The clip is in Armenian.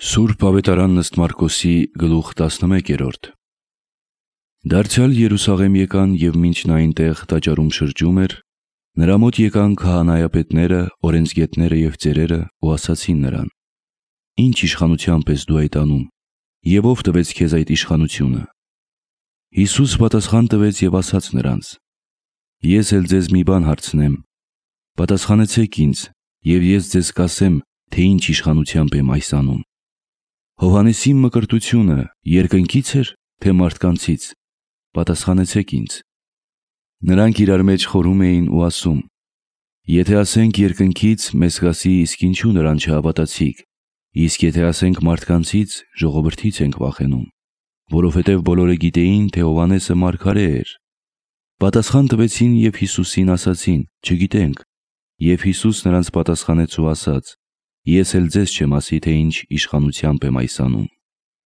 Սուրբ Ավետարան ըստ Մարկոսի գլուխ 11։ Դարձյալ Երուսաղեմ եկան և մինչ նա այնտեղ տաճարում շրջում էր, նրա մոտ եկան քահանայապետները, օրենսգետները և ծերերը ու ասացին նրան. «Ինչ իշխանությամբ ես դու այդ անում, և ով տվեց քեզ այդ իշխանությունը»։ Հիսուս պատասխան տվեց և ասաց նրանց. «Ես էլ ձեզ մի բան հարցնեմ, պատասխանեցեք ինձ, և ես ձեզ կասեմ, թե ինչ իշխանությամբ եմ այս անում։ Հովհաննեսի մկրտությունը երկնքի՞ց էր, թե մարդկանցից, պատասխանեցեք ինձ»։ Նրանք իրար մեջ խորհում էին ու ասում. «Եթե ասենք երկնքից, մեզ կասի, իսկ ինչու նրան չհավատացիք, իսկ եթե ասենք մարդկանցից, ժողովրդից ենք վախենում, որովհետև բոլորը գիտեին, թե Հովհաննեսը մարգարե էր»։ Պատասխան տվեցին և Հիսուսին ասացին. «Չգիտենք»։ Եվ Հիսուս նրանց պատասխանեց ու ասաց. «Ես էլ ձեզ չեմ ասի, թե ինչ իշխանությամբ եմ այս անում։